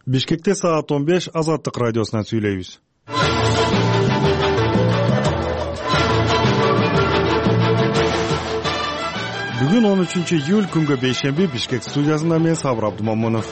Бишкекте саат 15 Азаттык радиосунан сүйлөйбүз. Бүгүн 13-июль күнгө бейшемби Бишкек студиясында мен Сабыр Абдумамунов.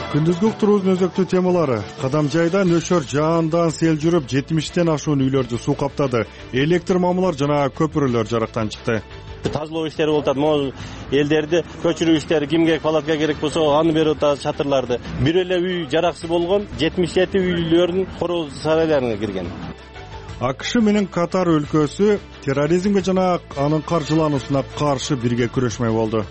Күндүзгү уктуруубуздун өзөктүү темалары: Кадам жайда нөшөр жаандан сел жүрүп 70тен ашуун үйлөрдү суу каптады. Электр мамылар жана көпүрөлөр жарыктан чыкты. Тазалоо иштери болуп атат. Могу элдерди көчүрүү иштери, кимге палатка керек болсо аны берип атат, чатырларды. Бир эле үй жараксыз болгон 77 үйлөрдүн короз сарайларына кирген. АКШ менен Катар өлкөсү терроризмге жана анын каржылануусуна каршы бирге күрөшмөй болду.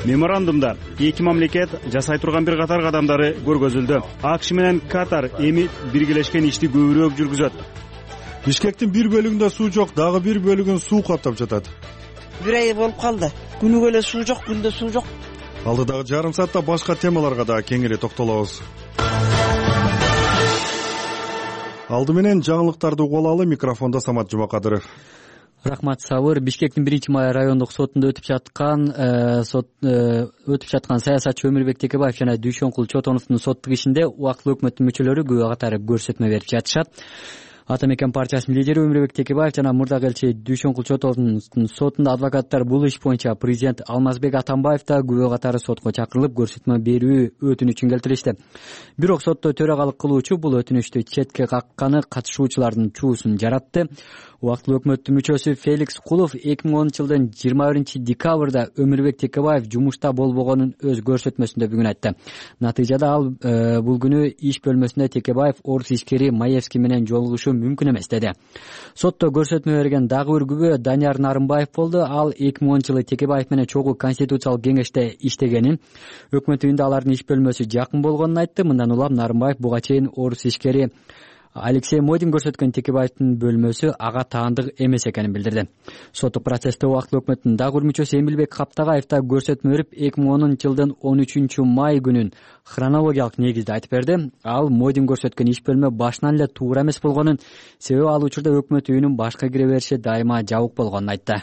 Меморандумда эки мамлекет жасай турган бир катар кадамдары көргөзүлдү. АКШ менен Катар эми биргелешкен ишти көбүрөөк жүргүзөт. Бишкектин бир бөлүгүндө суу жок, дагы бир бөлүгүн суу каптап жатат. Бир ай болуп калды. Күнүгө эле суу жок, күндө суу жок. Алдыдагы жарым саатта башка темаларга да кеңири токтолобуз. Алды менен жаңылыктарды угуп алалы. Микрофондо Самат Жумакадыров. Рахмат, Сабыр. Бишкектин 1-май райондук сотунда өтүп жаткан саясатчы Өмүрбек Текебаев жана Дүйшөнкул Чотоновдун соттук ишинде убактылуу өкмөттүн мүчөлөрү күбө катары көрсөтмө берип жатышат. Ата мекен партиясынын лидери Өмүрбек Текебаев жана мурдагы элчи Дүйшөнкул Чотоновдун сотунда адвокаттар бул иш боюнча президент Алмазбек Атамбаев да күбө катары сотко чакырылып көрсөтмө берүү өтүнүчүн келтиришти. Бирок сотто төрагалык кылуучу бул өтүнүчтү четке какканы катышуучулардын чуусун жаратты. Убактылуу өкмөттүн мүчөсү Феликс Кулов 2010-жылдын 21-декабрда Өмүрбек Текебаев жумушта болбогонун өз көрсөтмөсүндө бүгүн айтты. Натыйжада ал бул күнү иш бөлмөсүндө Текебаев орус ишкери Маевский менен жолугушу мүмкүн эмес деди. Сотто көрсөтмө берген дагы бир күбө Данияр Нарымбаев болду. Ал 2010-жылы Текебаев менен чогуу конституциялык кеңеште иштегенин, өкмөт үйүндө алардын иш бөлмөсү жакын болгонун айтты. Мындан улам Нарымбаев буга чейин орус ишкери Алексей Модин көрсөткөн Текебаевдин бөлмөсү ага таандык эмес экенин билдирди. Соттук процессте убактылуу өкмөттүн дагы бир мүчөсү Эмилбек Каптагаев да көрсөтмө берип 2010-жылдын 13-май күнүн хронологиялык негизде айтып берди. Ал Модин көрсөткөн иш бөлмө башынан эле туура эмес болгонун, себеби ал учурда өкмөт үйүнүн башка кире бериши дайыма жабык болгонун айтты.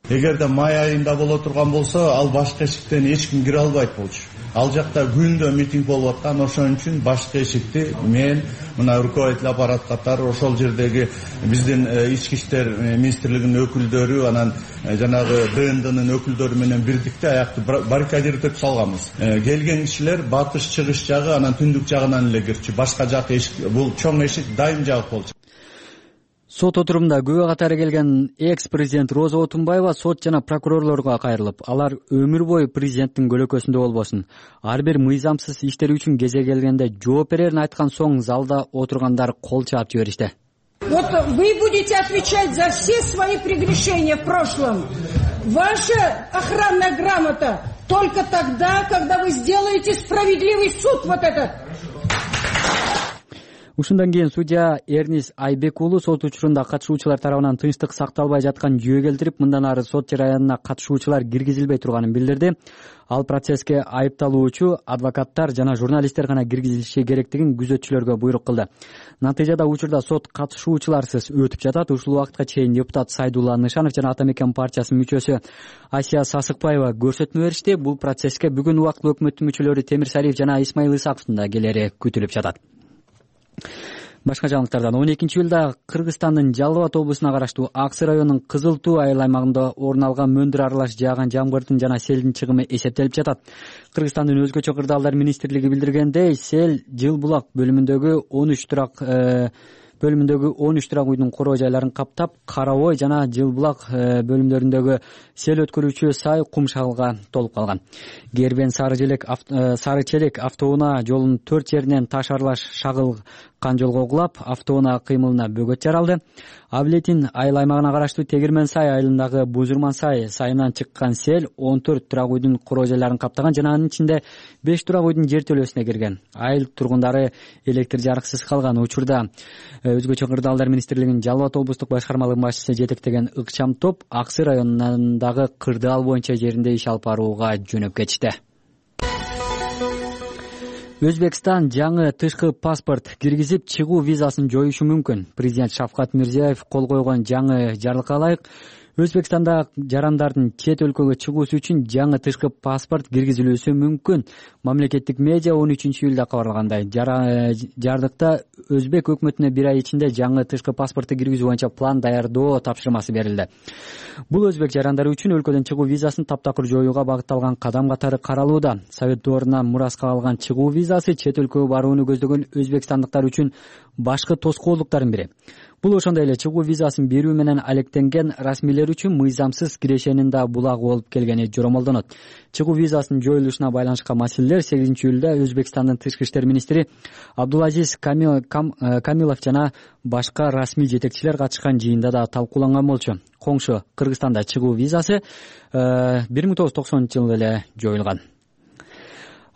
Эгерде май айында боло турган болсо, ал башка эшиктен эч ким кире албайт болчу. Ал жакта күндө митинг болуп аткан, ошон үчүн башка эшикти мен мына руководитель аппарат катары ошол жердеги биздин ички иштер министрлигинин өкүлдөрү, анан жанагы ДНДнын өкүлдөрү менен бирдикте аякты баррикадировать салганбыз. Келген кишилер батыш, чыгыш жагы, анан түндүк жагынан эле кирчү. Башка жак эшик, бул чоң эшик дайым жабык болчу. Сот отурумда күбө катары келген экс-президент Роза Отунбаева сот жана прокурорлорго кайрылып, алар өмүр бою президенттин көлөкөсүндө болбосун, ар бир мыйзамсыз иштер үчүн кезе келгенде жооп берерин айткан соң залда отургандар кол чаап жиберишти. Вот вы будете отвечать за все свои прегрешения в прошлом. Ваша охранная грамота только тогда, когда вы сделаете справедливый суд вот этот. Ушундан кийин судья Эрнис Айбек уулу сот учурунда катышуучулар тарабынан тынчтык сакталбай жаткан жүйө келтирип, мындан ары сот жараянына катышуучулар киргизилбей турганын билдирди. Ал процесске айыпталуучу, адвокаттар жана журналисттер гана киргизилиши керектигин күзөтчүлөргө буйрук кылды. Натыйжада учурда сот катышуучуларсыз өтүп жатат. Ушул убакытка чейин депутат Сайдулла Нышанов жана Ата мекен партиясынын мүчөсү Асия Сасыкбаева көрсөтмө беришти. Бул процесске бүгүн убактылуу өкмөттүн мүчөлөрү Темир Сариев жана Исмаил Исаковдун да келери күтүлүп жатат. Башка жаңылыктардан 12-июлда Кыргызстандын Жалал Абад облусуна караштуу Аксы районунун Кызыл Туу айыл аймагында орун алган мөндүр аралаш жааган жамгырдын жана селдин чыгымы эсептелип жатат. Кыргызстандын өзгөчө кырдаалдар министрлиги билдиргендей, сел Жыл Булак бөлүмүндөгү 13 турак үйдүн короо жайларын каптап, Кара Ой жана Жыл Булак бөлүмдөрүндөгү сел өткөрүүчү сай кумшалга толуп калган. Гербен Сары Челек автоунаа жолунун 4 жеринен таш аралаш шагылган жолго кулап, автоунаа кыймылына бөгөт жаралды. Аблетин айыл аймагына караштуу Тегирмен Сай айылындагы Бузурман сайынан чыккан сел 14 турак үйдүн короо жайларын каптаган жана анын ичинде 5 турак үйдүн жер төлөөсүнө кирген. Айыл тургундары электр жарыксыз калган. Учурда өзгөчө кырдаалдар министрлигинин Жалал Абад облустук башкармалыгынын башчысы жетектеген ыкчам топ Аксы районундагы кырдаал боюнча жеринде иш алып барууга жөнөп кетишти. Өзбекстан жаңы тышкы паспорт киргизип чыгуу визасын жоюшу мүмкүн. Президент Шавкат Мирзиёев кол койгон жаңы жарлыкка ылайык Өзбекстанда жарандардын чет өлкөгө чыгуусу үчүн жаңы тышкы паспорт киргизилүүсү мүмкүн. Мамлекеттик медиа 13-июлда кабарлагандай, жардыкта Өзбек өкмөтүнө бир ай ичинде жаңы тышкы паспортту киргизүү боюнча план даярдоо тапшырмасы берилди. Бул өзбек жарандары үчүн өлкөдөн чыгуу визасын таптакыр жоюуга багытталган кадам катары каралууда. Совет доорунан мураска алган чыгуу визасы чет өлкөгө барууну көздөгөн өзбекстандыктар үчүн башкы тоскоолдуктардын бири. Бул ошондой эле чыгуу визасын берүү менен алектенген расмийлер үчүн мыйзамсыз кирешенин да булагы болуп келгени жоромолдонот. Чыгуу визасынын жоюлушуна байланышкан маселелер 8-июлда Өзбекстандын тышкы иштер министри Абдулазиз Камилов жана башка расмий жетекчилер катышкан жыйында да талкууланган болчу. Коңшу Кыргызстанда чыгуу визасы 1990-жылы эле жоюлган.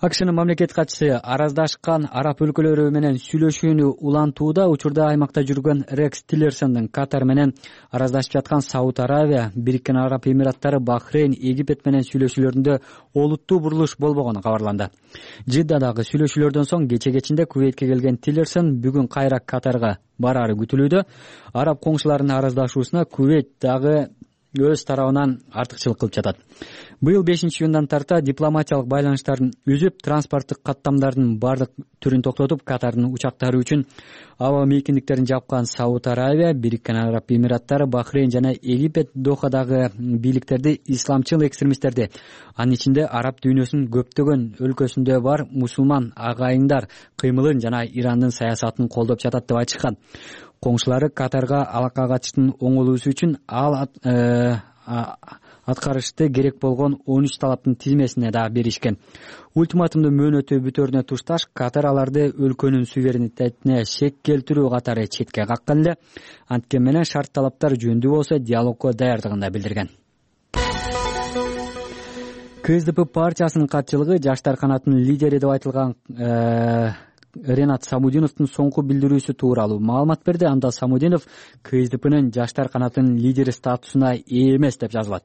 АКШнын мамлекеттик катчысы араздашкан араб өлкөлөрү менен сүйлөшүүнү улантууда. Учурда аймакта жүргөн Рекс Тиллерсондун Катар менен араздашып жаткан Сауд Аравия, Бириккен Араб Эмираттары, Бахрейн, Египет менен сүйлөшүүлөрүндө олуттуу бурулуш болбогону кабарланды. Жиддадагы сүйлөшүүлөрдөн соң кече-кечинде Кувейтке келген Тиллерсон бүгүн кайра Катарга барары күтүлүүдө. Араб коңшуларынын араздашуусуна Кувейт дагы өз тарабынан артыкчылык кылып жатат. Быйыл 5-июндан тарта дипломатиялык байланыштарын үзүп, транспорттук каттамдардын бардык түрүн токтотуп, Катардын учактары үчүн аба мейкиндиктерин жапкан Сауд Аравия, Бириккен Араб Эмираттары, Бахрейн жана Египет Дохадагы бийликтерди исламчыл экстремисттерди, анын ичинде араб дүйнөсүнүн көптөгөн өлкөсүндө бар мусулман агайындар кыймылын жана Ирандын саясатын колдоп жатат деп айтышкан. Коңшулары Катарга алакка катыштын оңолуусу үчүн аткарышты керек болгон 13 талаптын тизмесине да беришкен. Ультиматумдун мөөнөтү бүтөрүнө тушташ Катар аларды өлкөнүн суверенитетине шек келтирүү катары четке каккан эле. Анткени менен шарт талаптар жөндүү болсо диалогко даярдыгын да билдирген. КСДП партиясынын катчылыгы жаштар канатынын лидери деп айтылган Ренат Самудиновдун соңку билдирүүсү тууралуу маалымат берди. Анда Самудинов КСДПнын жаштар канатынын лидери статусуна ээ эмес деп жазылат.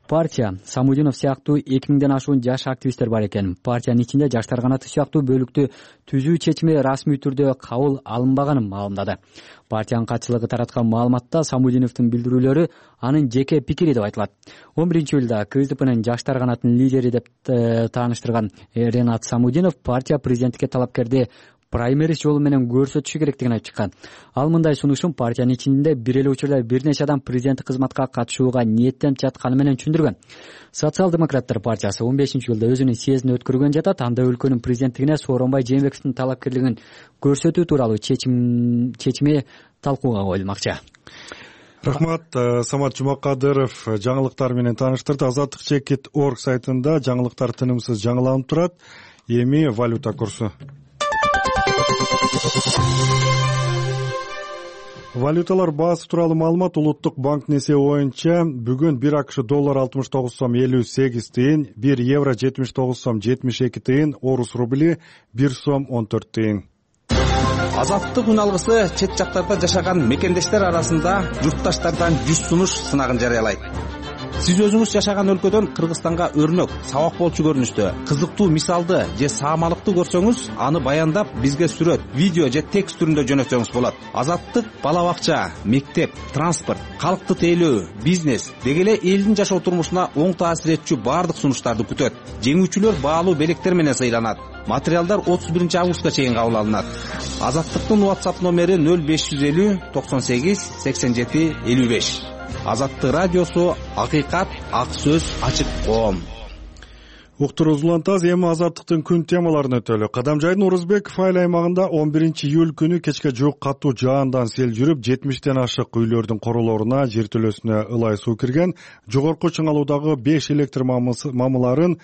Партия Самудинов сыяктуу 2000ден ашуун жаш активисттер бар экен. Партиянын ичинде жаштар канаты сыяктуу бөлүктү түзүү чечими расмий түрдө кабыл алынбаганын маалымдады. Партиянын катчылыгы тараткан маалыматта Самудиновдун билдирүүлөрү анын жеке пикири деп айтылат. 11-июлда КСДПнын жаштар канатынын лидери деп тааныштырган Ренат Самудинов партия президенттикке талапкерди праймериз жолу менен көрсөтүшү керектигин айтып чыккан. Ал мындай сунушун партиянын ичинде бир эле учурда бир нече адам президенттик кызматка катышууга ниеттенип жатканы менен түшүндүргөн. Социал-демократтар партиясы 15-июлда өзүнүн съездин өткөргөн жатат. Анда өлкөнүн президенттигине Сооронбай Жээнбековдун талапкерлигин көрсөтүү тууралуу чечими талкууга коюлмакчы. Рахмат. Самат Жумакадыров жаңылыктар менен тааныштырды. Азаттык Чекит.org сайтында жаңылыктар тынымсыз жаңыланып турат. Эми валюта курсу. Валюталар баасы тууралуу маалымат. Улуттук банктын эсеби боюнча бүгүн 1 АКШ доллар 69 сом 58 тыйын, 1 евро 79 сом 72 тыйын, орус рубли 1 сом 14 тыйын. Азаттык үн алгысы чет жактарда жашаган мекендештер арасында журтташтардан 100 сунуш сынагын жарыялайт. Сиз өзүңүз жашаган өлкөдөн Кыргызстанга өрнөк, сабак болчу көрүнүштө, кызыктуу мисалды же саамалыкты көрсөңүз, аны баяндап бизге сүрөт, видео же текст түрүндө жөнөтсөңүз болот. Азаттык бала бакча, мектеп, транспорт, калкты тейлөө, бизнес деги эле элдин жашоо турмушуна оң таасир этчү баардык сунуштарды күтөт. Жеңүүчүлөр баалуу белектер менен сыйланат. Материалдар 31 августка чейин кабыл алынат. Азаттыктын WhatsApp номери 0550 98 87 55. Азаттык радиосу, акыйкат, ак сөз, ачык коом. Уктурузулантаз эми азаттыктын күн темаларын өтөлү. Кадамжайдын Орузбеков айыл аймагында 11-июль күнү кечке жуук катуу жаандан сел жүрүп, 70ден ашык үйлөрдүн королоруна, жертөлөсүнө ылай суу кирген. Жогорку Чыңалуудагы 5 электр мамыларын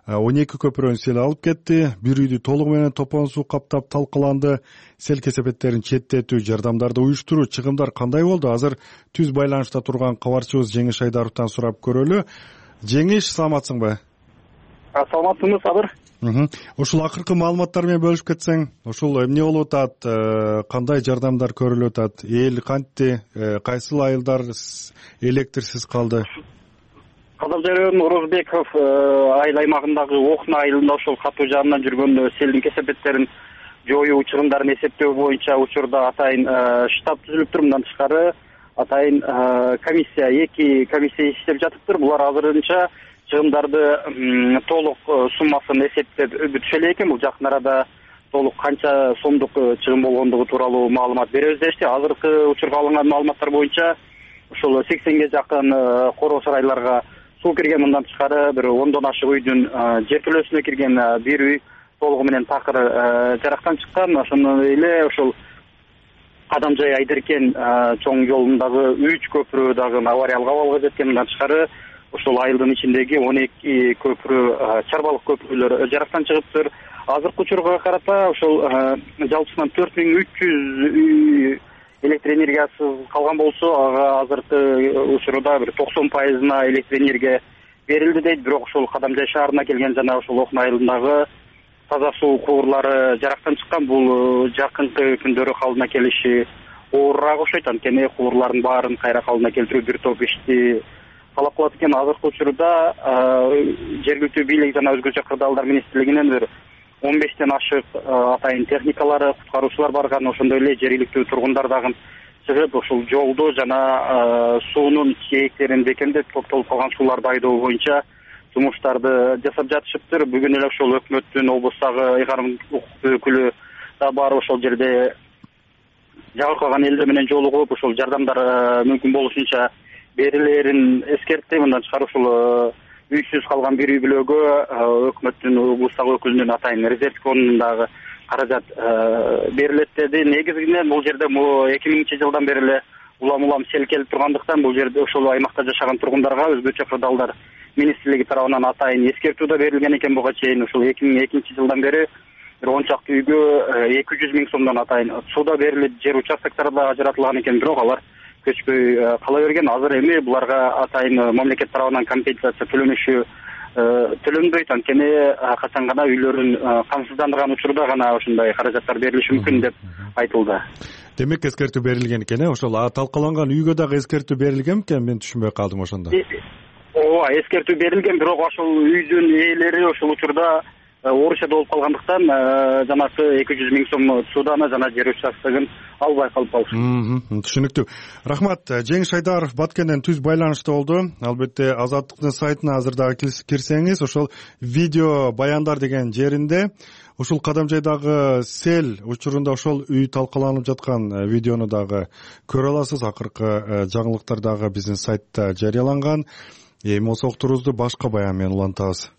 12 көпүрөнү сел алып кетти. Бир үйдү толугу менен топон суу каптап талкаланды. Сел кесепеттерин четтетүү, жардамдарды уюштуруу чыгымдар кандай болду? Азыр түз байланышта турган кабарчыбыз Жеңиш Айдаровдон сурап көрөлү. Жеңиш, саламатсыңбы? Саламатсыңбы, Сабыр? Ушул акыркы маалыматтар менен бөлүшүп кетсең, ушул эмне болуп атат, кандай жардамдар көрүлүп атат, эл кантти, кайсыл айылдар электрсиз калды? Кадамжай районунун Орузбеков айыл аймагындагы Окна айылында ошол катуу жаандан жүргөн селдин кесепеттерин жоюу чыгымдарын эсептөө боюнча учурда атайын штаб түзүлүп тур. Мындан тышкары атайын эки комиссия иштеп жатыптыр. Булар азырынча чыгымдарды толук суммасын эсептеп бүтүшө элек экен. Бул жакын арада толук канча сомдук чыгым болгондугу тууралуу маалымат беребиз дешти. Азыркы учурга алынган маалыматтар боюнча ушул 80ге жакын короо сарайларга суу кирген. Мындан тышкары бир 10дон ашык үйдүн жертөлөсүнө кирген, бир үй толугу менен такыр жарактан чыккан. Ошондой эле ушул Кадамжай Айдеркен чоң жолундагы 3 көпүрө дагы авариялык абалга жеткен. Мындан тышкары ушул айылдын ичиндеги 12 көпүрө, чарбалык көпүрөлөр жарактан чыгыптыр. Азыркы учурга карата ушул жалпысынан 4300 үй электр энергиясыз калган болсо, ага азыркы учурда бир 90%на электр энергия берилди дейт. Бирок ушул Кадамжай шаарына келген жана ушул Окна айылындагы таза суу кубурлары жарактан чыккан. Бул жакынкы күндөрү калдына келиши оорураак окшойт. Анткени кубурлардын баарын кайра калдына келтирүү бир топ ишти талап кылат экен. Азыркы учурда жергиликтүү бийлик жана өзгөчө кырдаалдар министрлигинен бир 15тен ашык атайын техникалары, куткаруучулар барган. Ошондой эле жергиликтүү тургундар дагы чыгып ушул жолду жана суунун чейектерин бекемдеп, топтолуп калган сууларды айдоо боюнча жумуштарды жасап жатышыптыр. Бүгүн эле ошол өкмөттүн облустагы ыйгарым укук өкүлү да барып ошол жерде жагып калган элдер менен жолугуп, ошол жардамдар мүмкүн болушунча берилерин эскертти. Мындан тышкары ушул үйсүз калган бир үй бүлөгө өкмөттүн облустагы өкүлүнүн атайын резерв фондундагы каражат берилет деди. Негизинен бул жерде 2000-жылдан бери эле улам сел келип тургандыктан бул жерде ошол аймакта жашаган тургундарга өзгөчө кырдаалдар министрлиги тарабынан атайын эскертүү да берилген экен. Буга чейин ушул 2002-жылдан бери бир 10 чакты үйгө 200 000 сомдон атайын суу да берилип, жер участоктары да ажыратылган экен. Бирок алар көчпөй кала берген. Азыр эми буларга атайын мамлекет тарабынан компенсация төлөнбөйт. Анткени качан гана үйлөрүн камсыздандырган учурда гана ошондой каражаттар берилиши мүмкүн деп айтылды. Демек эскертүү берилген экен, ошол талкаланган үйгө дагы эскертүү берилген экен. Мен түшүнбөй калдым ошондо. Ооба, эскертүү берилген, бирок ошол үйдүн ээлери ошол учурда орусияда болуп калгандыктан жанакы 200 000 сом суудан жана жер участогун албай калып калышты. Түшүнүктүү. Рахмат. Жеңиш Айдаров Баткенден түз байланышта болду. Албетте Азаттыктын сайтына азыр дагы кирсеңиз, ошол видео баяндар деген жеринде ушул Кадамжайдагы сел учурунда ошол үй талкаланып жаткан видеону дагы көрө аласыз. Акыркы жаңылыктар дагы биздин сайтта жарыяланган. Эми болсо уктуруубузду башка баян менен улантабыз.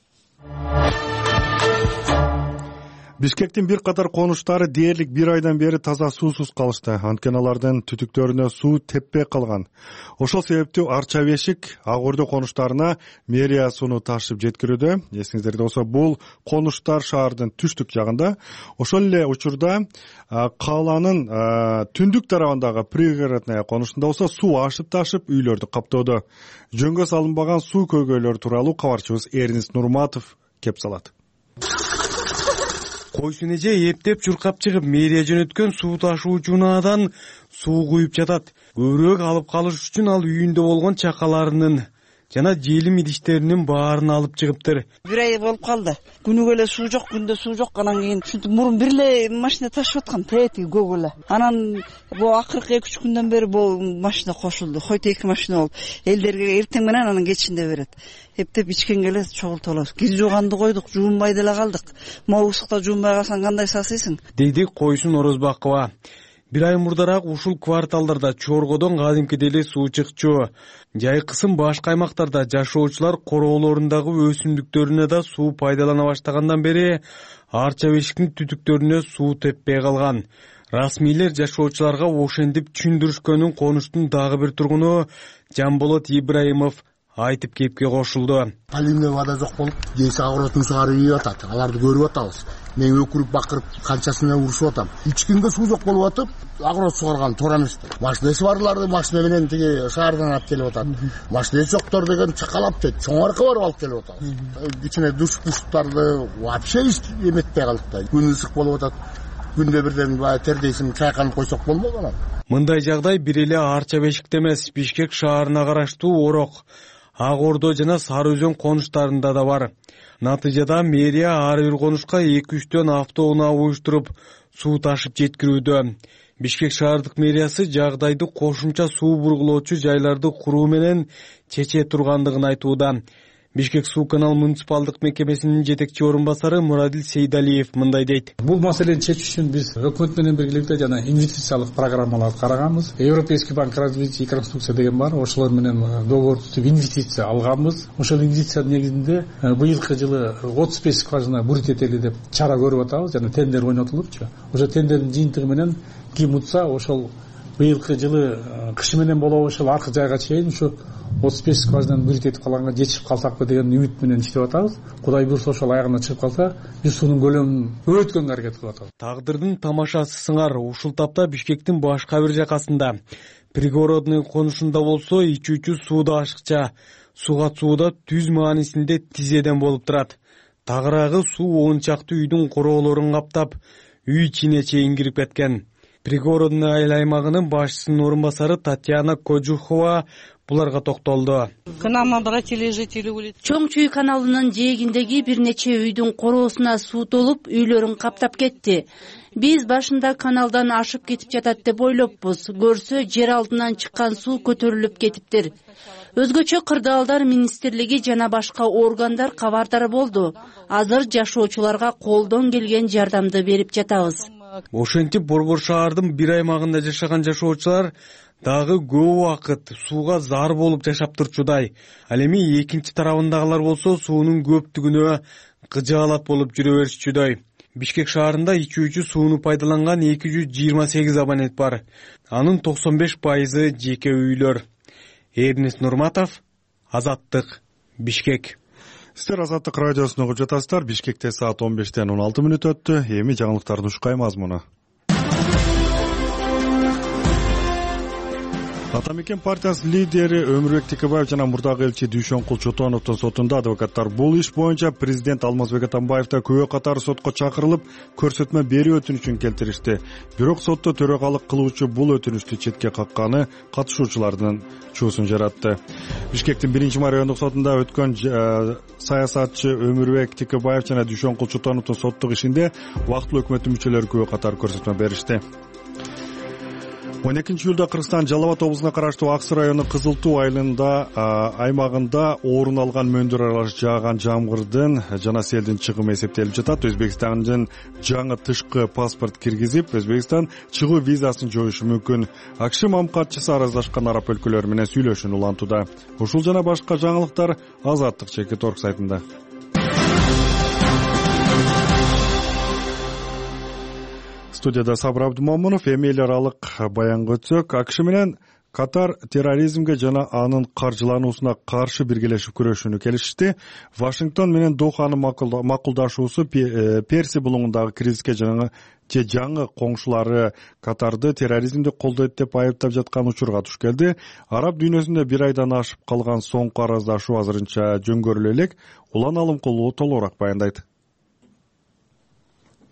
Бишкектин бир катар конуштары дээрлик бир айдан бери таза суусуз калышты. Анткени алардын түтүктөрүнө суу теппей калган. Ошол себептүү Арча Бешик, Ак Ордо конуштарына мэрия сууну ташып жеткирүүдө. Эсиңиздерде болсо, бул конуштар шаардын түштүк жагында. Ошол эле учурда калаанын түндүк тарабындагы пригородная конуштунда болсо суу ашып-ташып үйлөрдү каптоодо. Жөнгө салынбаган суу көйгөйлөрү тууралуу кабарчыбыз Эрнис Нурматов кеп салат. Койсун эже эптеп чуркап чыгып, мэрия жөнөткөн суу ташуучу унаадан суу куюп жатат. Көбүрөөк алып калыш үчүн ал үйүндө болгон чакаларынын жана желим идиштеринин баарын алып чыгыптыр. Бир ай болуп калды. Күнүгө эле суу жок, күндө суу жок. Анан кийин ушинтип мурун бир эле машина ташып аткан, тети көк эле. Анан бул акыркы 2-3 күндөн бери бул машина кошулду. Хойто 2 машина болуп. Элдерге эртең менен анан кечинде берет. Эптеп ичкенге эле чогултулабыз. Кир жууганды койдук, жуунбай деле калдык. Могу ысыкта жуунбай калсаң кандай сасыйсың? Деди Койсун Орозбакова. Бир ай мурдараак ушул кварталдарда Чоргодон кадимкидей эле суу чыкчу. Жайкысын башка аймактарда жашоочулар короолорундагы өсүмдүктөрүнө да суу пайдалана баштагандан бери Арча Бешиктин түтүктөрүнө суу теппей калган. Расмийлер жашоочуларга ошентип түшүндүрүшкөнүн конуштун дагы бир тургуну Жамболот Ибраимов айтып кепке кошулду. Поливный вода жок болуп, жейси агыротун сугары ийип атат. Аларды көрүп атабыз. Мен өкүрүп бакырып канчасына урушуп атам. Ичкинге суу жок болуп атып, агырот сугарган туура эмес. Машинасы барларды машина менен тиги шаардан алып келип атат. Машинасы жоктор деген чакалап дейт. Чоң арка барып алып келип атабыз. Ичине душ-пуштарды вообще эметпей калдык да. Күн ысык болуп атат. Күндө бирден баягы тердейсиң чайканып койсок болмок анан. Мындай жагдай бир эле Арча Бешикте эмес, Бишкек шаарына караштуу Орок, Ак Ордо жана Сары Өзөн конуштарында да бар. Натыйжада мэрия ар бир конушка 2-3төн автоунаа уюштуруп суу ташып жеткирүүдө. Бишкек шаардык мэриясы жагдайды кошумча суу бургулоочу жайларды куруу менен чече тургандыгын айтууда. Бишкек суу канал муниципалдык мекемесинин жетекчи орун басары Мурадил Сейдалиев мындай дейт. Бул маселени чечүү үчүн биз өкмөт менен биргеликте жана инвестициялык программаларды караганбыз. Европейский банк развития и реконструкция деген бар. Ошолор менен договор түзүп инвестиция алганбыз. Ошол инвестициянын негизинде быйылкы жылы 35 скважина бурит этели деп чара көрүп атабыз. Жана тендер ойнотулупчу. Ошо тендердин жыйынтыгы менен ким утса ошол быйылкы жылы кышы менен болобу ошол аркы жайга чейин ушу 35 скважинаны бурит этип калганга жетишип калсакпы деген үмүт менен иштеп атабыз. Кудай буйрса ошол аягына чыгып калса, биз суунун көлөмүн көбөйткөнгө аракет кылып атабыз. Тагдырдын тамашасы сыңар ушул тапта Бишкектин башка бир жакасында пригородный конушунда болсо ичүүчү суу да ашыкча. Суга сууда түз маанисинде тизеден болуп турат. Тагыраагы суу 10 чакты үйдүн короолорун каптап, үй ичине чейин кирип кеткен. Пригородный айыл аймагынын башчысынын орун басары Татьяна Коджухова буларга токтолду. Чоң Чүй каналынын жээгиндеги бир нече үйдүн короосуна суу толуп, үйлөрүн каптап кетти. Биз башында каналдан ашып кетип жатат деп ойлоппуз. Көрсө жер алдынан чыккан суу көтөрүлүп кетиптир. Өзгөчө кырдаалдар министрлиги жана башка органдар кабардар болду. Азыр жашоочуларга колдон келген жардамды берип жатабыз. Ошентип Борбор шаардын бир аймагында жашаган жашоочулар дагы көп убакыт сууга зар болуп жашап турчудай. Ал эми экинчи тарабындагылар болсо суунун көптүгүнө кыжаалат болуп жүрө беришчүдөй. Бишкек шаарында ичүүчү сууну пайдаланган 228 абонент бар. Анын 95% жеке үйлөр. Эрнест Нурматов, Азаттык, Бишкек. Сиздер Азаттык радиосун угуп жатасыздар. Бишкекте саат 15-тен 16 мүнөт өттү. Эми жаңылыктардын ушкай мазмуну. Ата мекен партиясынын лидери Өмүрбек Текебаев жана мурдагы элчи Дүйшөнкул Чотоновдун сотунда адвокаттар бул иш боюнча президент Алмазбек Атамбаевди күбө катары сотко чакырылып, көрсөтмө берүү өтүнүчүн келтиришти. Бирок сотто төрагалык кылуучу бул өтүнүштү четке какканы катышуучулардын чуусун жаратты. Бишкектин 1-май райондук сотунда өткөн саясатчы Өмүрбек Текебаев жана Дүйшөнкул Чотоновдун соттук ишинде убактылуу өкмөттүн мүчөлөрү күбө катары көрсөтмө беришти. 12-июлда Кыргызстан Жалал Абад облусуна караштуу Ак Суу району Кызыл Туу аймагында орун алган мөндүр аралаш жааган жамгырдын жана селдин чыгымы эсептелип жатат. Өзбекстандын жаңы тышкы паспорт киргизип, Өзбекстан чыгуу визасын жоюшу мүмкүн. АКШ мамкатчысы араздашкан араб өлкөлөрү менен сүйлөшүүнү улантууда. Ушул жана башка жаңылыктар Азаттык Чекит.орг сайтында. Студияда Сабыр Абдумомунов. Эми эл аралык баянга өтсөк, АКШ менен Катар терроризмге жана анын каржылануусуна каршы биргелешип күрөшүүнү келишти. Вашингтон менен Доханын макулдашуусу Перси булуңундагы кризиске жаңы коңшулары Катарды терроризмди колдойт деп айыптап жаткан учурга туш келди. Араб дүйнөсүндө бир айдан ашып калган соңку араздашуу азырынча жөнгөрүлө элек. Улан Алымкулуу толугураак баяндайт.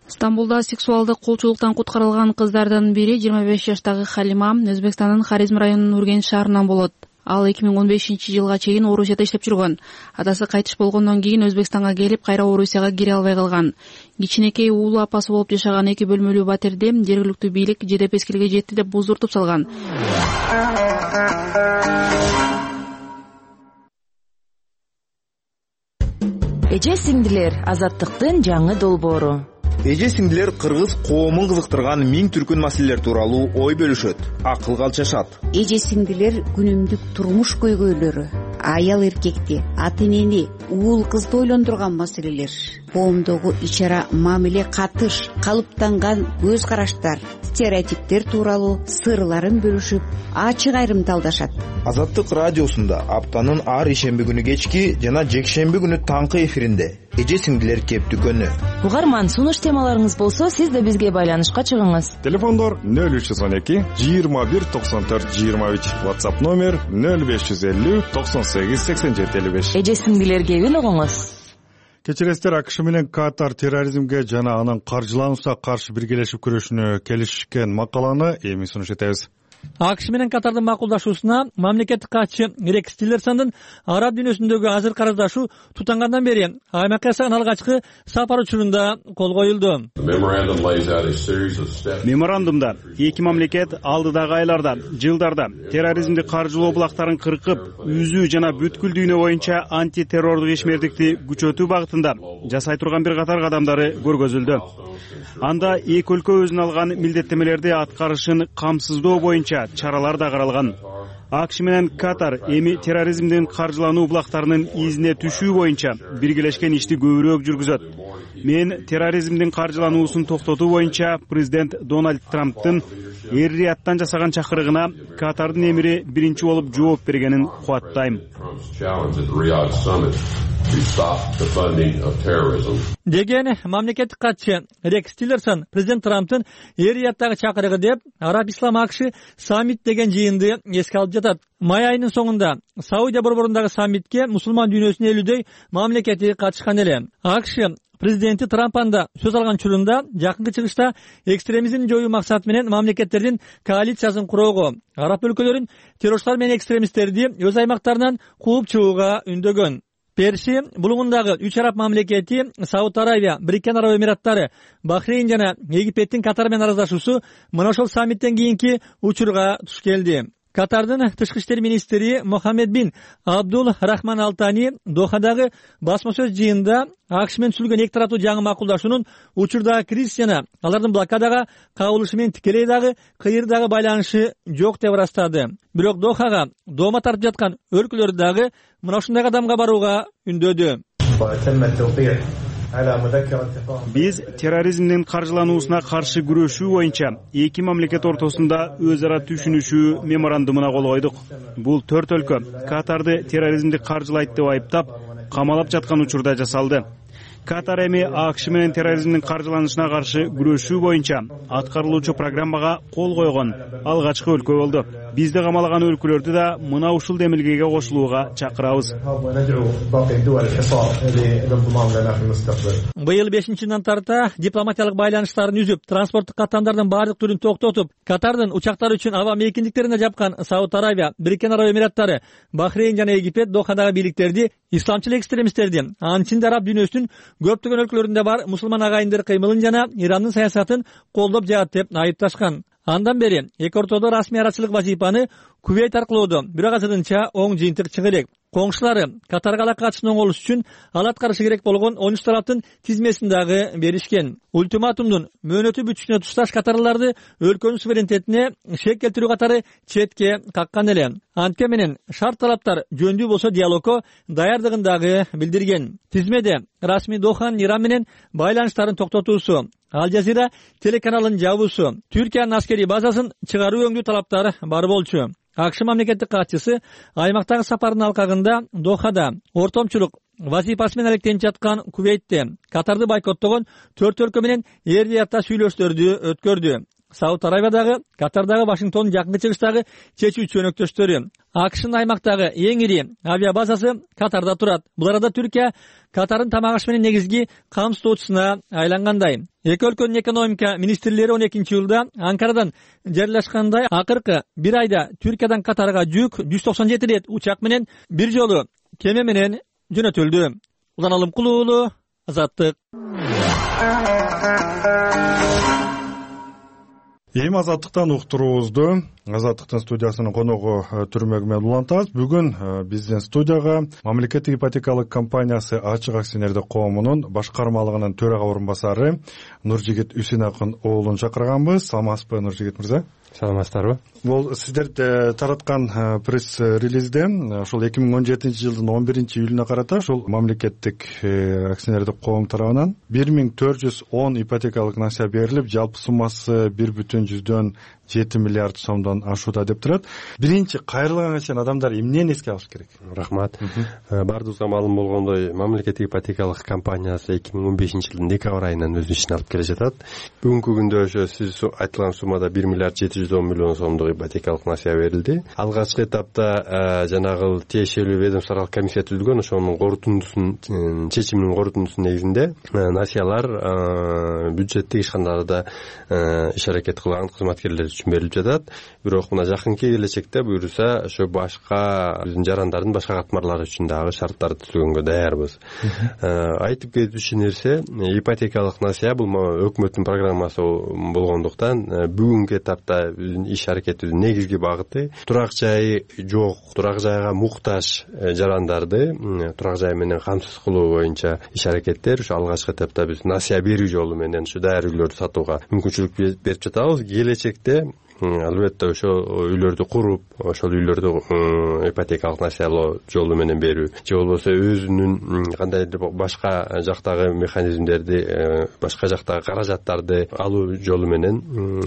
Стамбулда сексуалдык кулчулуктан куткарылган кыздардын бири 25 жаштагы Халима Өзбекстандын Харизм районунун Ургенч шаарынан болот. Ал 2015-жылга чейин Орусияда иштеп жүргөн. Атасы кайтыш болгондон кийин Өзбекстанга келип, кайра Орусияга кире албай калган. Кичинекей уулу апасы болуп жашаган 2 бөлмөлүү батирди жергиликтүү бийлик жедеп эскилге жетти деп буздуртуп салган. Эже сиңдилер, Азаттыктын жаңы долбоору. Эже сиңдилер кыргыз коомун кызыктырган 1000 түркүн маселелер тууралуу ой бөлүшөт, акылга алчашат. Эже сиңдилер күнүмдүк турмуш көйгөйлөрү, аял эркекти, ата энени, уул кызды ойлондурган маселелер, коомдогу ичара мамиле катыш, калыптанган көз караштар, стереотиптер тууралуу сырларын бөлүшүп, ачык айрымталдашат. Азаттык радиосунда аптанын ар ишемби күнү кечки жана жекшемби күнү таңкы эфиринде эже сиңдилер кеп дүкөнү. Угарман, сунуш темаларыңыз болсо, сиз да бизге байланышка чыгыңыз. Телефондор 0312 21 94 23, WhatsApp номер 0550 98 87 55. Эже сиңдилер кебин угуңуз. Кечиресиздер, АКШ менен Катар терроризмге жана анын каржылануусуна каршы биргелешип күрөшүүнү келишкен макаланы эми сунуш этебиз. АКШ менен Катардын макулдашуусуна мамлекеттик катчы Рекс Тиллерсондун араб дүйнөсүндөгү азыр караздашуу тутангандан бери аймакка жасаган алгачкы сапар учурунда кол коюлду. Меморандумда эки мамлекет алдыдагы айларда, жылдарда терроризмди каржылоо булактарын кыркып, үзүү жана бүткүл дүйнө боюнча антитеррордук ишмердикти күчөтүү багытында жасай турган бир катар кадамдары көргөзүлдү. Анда эки өлкө өзүнө алган милдеттемелерди аткарышын камсыздоо боюнча чаралар да каралган. АКШ менен Катар эми терроризмдин каржылануу булактарынын изине түшүү боюнча биргелешкен ишти көбүрөөк жүргүзөт. Мен терроризмдин каржылануусун токтотуу боюнча президент Дональд Трамптын Эр-Рияттан жасаган чакырыгына Катардын эмири биринчи болуп жооп бергенин кубаттайм. Деген мамлекеттик катчы Рекс Тиллерсон президент Трамптын Эр-Рияттагы чакырыгы деп Араб Ислам АКШ саммит деген жыйынды эске алып жатат. Май айынын соңунда Саудия борборундагы саммитке мусулман дүйнөсүнүн 50дөй мамлекети катышкан эле. АКШ президенти Трамп анда сөз алган учурунда жакынкы чыгышта экстремизмди жоюу максаты менен мамлекеттердин коалициясын куроого, араб өлкөлөрүн террорчулар менен экстремисттерди өз аймактарынан кууп чыгууга үндөгөн. Перси булугундагы 3 араб мамлекети Сауд Арабия, Бириккен Араб Эмираттары, Бахрейн жана Египеттин Катар менен араздашуусу мына ошол саммиттен кийинки учурга туш келди. Катардын тышкы иштер министри Мохаммед бин Абдул Рахман Алтани Дохадагы басма сөз жыйында АКШ менен түзүлгөн эки тараптуу жаңы макулдашуунун учурдагы кризис жана алардын блокадага кабылышы менен тикелей дагы кыйыр дагы байланышы жок деп ырастады. Бирок Дохага доома тартып жаткан өлкөлөр дагы мына ушундай кадамга барууга үндөдү. Биз терроризмдин каржылануусуна каршы күрөшүү боюнча эки мамлекет ортосунда өз ара түшүнүшүү меморандумуна кол койдук. Бул 4 өлкө Катарды терроризмди каржылайт деп айыптап, камалап жаткан учурда жасалды. Катар эми АКШ менен терроризмдин каржыланышына каршы күрөшүү боюнча аткарылуучу программага кол койгон алгачкы өлкө болду. Бизди камалаган өлкөлөрдү да мына ушул демилгеге кошулууга чакырабыз. Быйыл 5-нчи тарта дипломатиялык байланыштарын үзүп, транспорттук каттамдардын баардык түрүн токтотуп, Катардын учактар үчүн аба мейкиндиктерине жапкан Сауд Арабия, Бириккен Араб Эмираттары, Бахрейн жана Египет Дохадагы бийликтерди исламчыл экстремисттерди, анын араб дүйнөсүнүн көптөгөн өлкөлөрүндө бар мусулман агайындар кыймылын жана Ирандын саясатын колдоп жатат деп айыпташкан. Андан бери эки ортодо расмий арачылык вазифаны Кувейт аркылуу бирок азырынча оң жыйынтык чыга элек. Коңшулары Катарга алака катышын оңолуш үчүн ал аткарышы керек болгон 13 тараптын тизмесин дагы беришкен. Ультиматумдун мөөнөтү бүтүшүнө тушташ катарларды өлкөнүн суверенитетине шек келтирүү катары четке каккан эле. Антке менен шарт талаптар жөндүү болсо диалогко даярдыгын дагы билдирген. Тизмеде расмий Доханын Иран менен байланыштарын токтотуусу, Ал Жазира телеканалын жабуусу, Түркиянын аскерий базасын чыгаруу өңдүү талаптары бар болчу. АКШ мамлекеттик катчысы аймактагы сапарынын алкагында Дохада ортомчулук вазифасы менен алектенип жаткан Кувейтте Катарды бойкоттогон 4 өлкө менен Эр-Риядда сүйлөшүүлөрдү өткөрдү. Сауд Арабиядагы, Катардагы, Вашингтондун жакынкы чыгыштагы чечүүчү өнөктөштөрү. АКШнын аймактагы эң ири авиабазасы Катарда турат. Бул арада Түркия Катардын тамак аш менен негизги камсыздоочусуна айлангандай. Эки өлкөнүн экономика министрлери 12-жылда Анкарадан жарыялашкандай акыркы бир айда Түркиядан Катарга жүк 197 рет учак менен бир жолу кеме менен жөнөтүлдү. Улан Алымкул уулу, Азаттык. Эми Азаттыктан уктуруубузду Азаттыктын студиясынын коногу Түрмөгү менен улантабыз. Бүгүн биздин студияга мамлекеттик ипотекалык компаниясы Ачык акционердик коомунун башкармалыгынын төрага орун басары Нуржигит Үсенакын уулун чакырганбыз. Саламатсызбы, Нуржигит мырза? Саламатсыздарбы? Бул сиздер тараткан пресс-релизде ошол 2017 жылдын 11-июлуна карата ошол мамлекеттик акционердик коом тарабынан 1410 ипотекалык насыя берилип, жалпы суммасы 1,7 миллиард сомдон ашууда деп турат. Биринчи кайрылганга чейин адамдар эмнени эске алыш керек? Рахмат. Бардыгыбызга маалым болгондой, мамлекеттик ипотекалык компаниясы 2015 жылдын декабрь айынан өзүнүн ишин алып келе жатат. Бүгүнкү күндө ошо сиз айтылган суммада 1,7 110 миллион сомдук ипотекалык насыя берилди. Алгачкы этапта жанагы тиешелүү ведомстволук комиссия түзүлгөн, ошонун корутундусунун чечиминин корутундусунун негизинде насыялар бюджеттик ишканаларда иш аракет кылган кызматкерлер үчүн берилип жатат. Бирок мына жакынкы келечекте буюрса ошо башка биздин жарандардын башка катмарлары үчүн дагы шарттарды түзгөнгө даярбыз. Айтып кетүүчү нерсе, ипотекалык насыя бул өкмөттүн программасы болгондуктан бүгүнкү этапта биздин иш аракетибиздин негизги багыты турак жайы жок, турак жайга муктаж жарандарды турак жай менен камсыз кылуу боюнча иш аракеттер ушу алгачкы этапта биз насыя берүү жолу менен ушу даяр үйлөрдү сатууга мүмкүнчүлүк берип жатабыз. Келечекте албетте ошол үйлөрдү куруп, ошол үйлөрдү ипотекалык насыялоо жолу менен берүү же болбосо өзүнүн кандайдыр башка жактагы механизмдерди, башка жактагы каражаттарды алуу жолу менен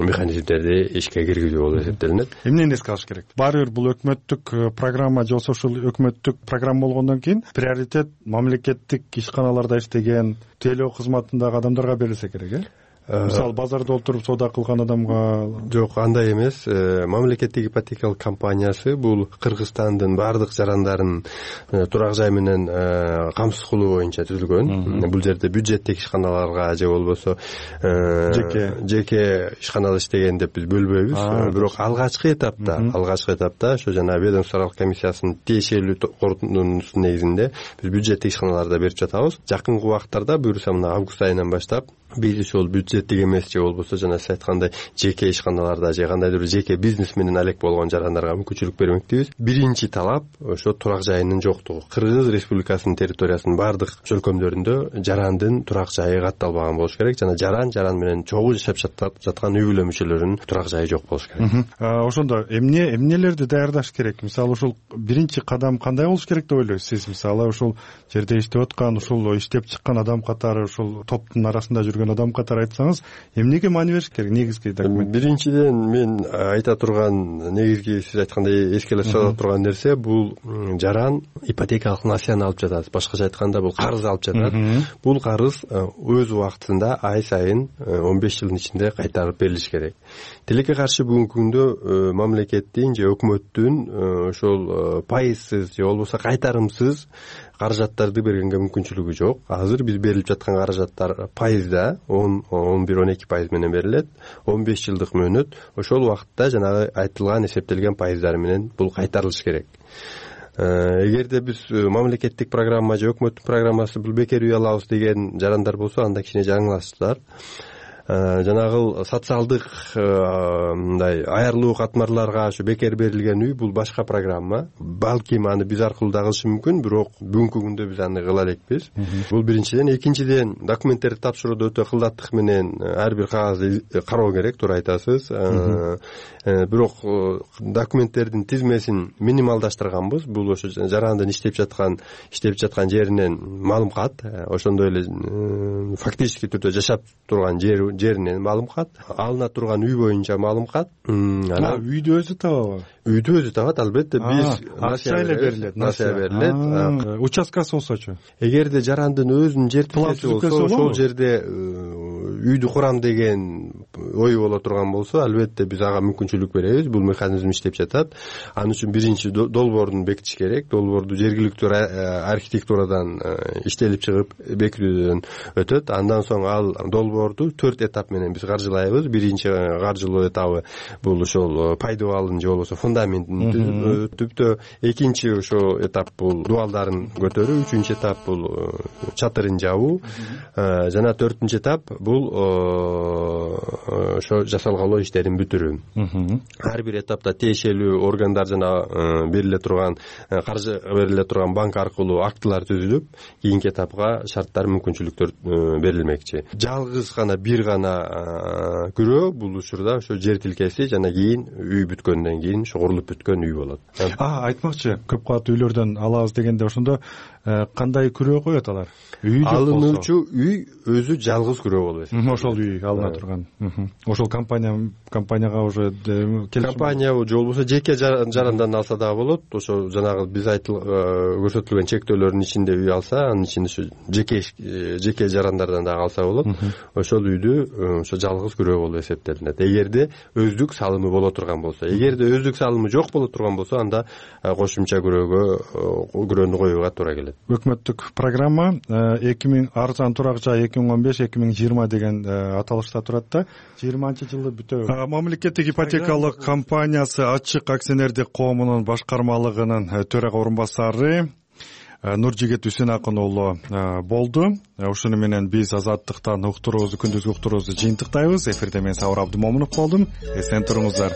механизмдерди ишке киргизүү болуп эсептелинет. Эмнени эске алыш керек? Баары бир бул өкмөттүк программа же болбосо ушул өкмөттүк программа болгондон кийин приоритет мамлекеттик ишканаларда иштеген тейлөө кызматындагы адамдарга берилсе керек, Мисалы базарда отуруп соода кылган адамга? Жок, андай эмес. Мамлекеттик ипотекалык компаниясы бул Кыргызстандын бардык жарандарын турак жай менен камсыз кылуу боюнча түзүлгөн. Бул жерде бюджеттик ишканаларга же болбосо жеке ишканада иштеген деп биз бөлбөйбүз. Бирок алгачкы этапта ошо жана ведомстволук комиссиясынын тиешелүү корутундусунун негизинде биз бюджеттик ишканаларда берип жатабыз. Жакынкы убактарда буюрса мына август айынан баштап биз ошол бюджеттик эмес же болбосо жана сиз айткандай жеке ишканаларда же кандайдыр жеке бизнес менен алек болгон жарандарга мүмкүнчүлүк бермекчибиз. Биринчи талап ошо турак жайынын жоктугу. Кыргыз Республикасынын территориясынын бардык чөлкөмдөрүндө жарандын турак жайы катталбаган болуш керек жана жаран менен чогуу жашап жаткан үй бүлө мүчөлөрүнүн турак жайы жок болуш керек. Ошондо эмнелерди даярдаш керек? Мисалы ушул биринчи кадам кандай болуш керек деп ойлойсуз сиз? Мисалы ушул жерде иштеп аткан, ушул иштеп чыккан адам катары, ушул топтун арасында жүргөн адам катары айтсаңыз, эмнеге маани бериш керек негизги документ? Биринчиден мен айта турган негизги сиз айткандай эскелеп сала турган нерсе бул жаран ипотекалык насыяны алып жатат. Башкача айтканда бул карыз алып жатат. Бул карыз өз убактында ай сайын 15 жылдын ичинде кайтарып берилиш керек. Тилекке каршы бүгүнкү күндө мамлекеттин же өкмөттүн ошол пайызсыз же болбосо кайтарымсыз каражаттарды бергенге мүмкүнчүлүгү жок. Азыр биз берилип жаткан каражаттар пайызда 11-12% менен берилет. 15 жылдык мөөнөт. Ошол убакытта жанагы айтылган эсептелген пайыздары менен бул кайтарылыш керек. Эгерде биз мамлекеттик программа же өкмөттүн программасы бул бекер үй алабыз деген жарандар болсо, анда кичине жаңылашсыздар. Жанагы социалдык мындай аярлуу катмарларга ошо бекер берилген үй бул башка программа. Балким аны биз аркылуу да кылышы мүмкүн, бирок бүгүнкү күндө биз аны кыла элекпиз. Бул биринчиден. Экинчиден, документтерди тапшырууда өтө кылдаттык менен ар бир кагазды кароо керек, туура айтасыз. Бирок документтердин тизмесин минималдаштырганбыз. Бул ошо жарандын иштеп жаткан жеринен маалым кат, ошондой эле фактически түрдө жашап турган жеринен маалым кат, алына турган үй боюнча маалым кат. Үйдү өзү табабы? Үйдү өзү табат, албетте. Биз насыя берилет. Участкасы болсочу? Эгерде жарандын өзүнүн жер тилкеси болсо, ошол жерде үйдү курам деген ою боло турган болсо, албетте биз ага мүмкүнчүлүк беребиз. Бул механизм иштеп жатат. Анын үчүн биринчи долбоорун бекитиш керек. Долбоорду жергиликтүү архитектурадан иштелип чыгып бекитүүдөн өтөт. Андан соң ал долбоорду 4 этап менен биз каржылайбыз. Биринчи каржылоо этабы бул ошол пайдубалын же болбосо фундаментин түптө. Экинчи ошо этап бул дубалдарын көтөрүү. Үчүнчү этап бул чатырын жабуу. Жана 4-нчү этап бул ошо жасалгалоо иштерин бүтүрүү. Ар бир этапта тиешелүү органдар жана бериле турган каржы бериле турган банк аркылуу актылар түзүлүп, кийинки этапка шарттар, мүмкүнчүлүктөр берилмекчи. Жалгыз гана бир гана күрөө бул учурда ошо жер тилкеси жана кийин үй бүткөндөн кийин ошо курулуп бүткөн үй болот. Айтмакчы, көп кабаттуу үйлөрдөн алабыз дегенде ошондо кандай күрөө коет алар? Алынуучу үй өзү жалгыз күрөө болуп ошол үй алына турган. Ошол компанияга уже компания же болбосо жеке жарандан алса дагы болот. Ошо жанагы биз көрсөтүлгөн чектөөлөрдүн ичинде үй алса, анын ичинде ушу жеке жарандардан дагы алса болот. Ошол үйдү ошо жалгыз күрөө болуп эсептелинет. Эгерде өздүк салымы боло турган болсо, эгерде өздүк салымы жок боло турган болсо, анда кошумча күрөөнү коюуга туура келет. Өкмөттүк программа 2000 арзан турак жай 2015-2020 деген аталышта турат да. 20-жылы бүтөбү. Мамлекеттик ипотекалык компаниясы ачык акционердик коомунун башкармалыгынын төрага орун басары Нуржигит Үсенакын уулу болду. Ушуну менен биз Азаттыктан күндүзгү уктуруубузду жыйынтыктайбыз. Эфирде мен Сабыр Абдымомунов болдум. Эсен туруңуздар.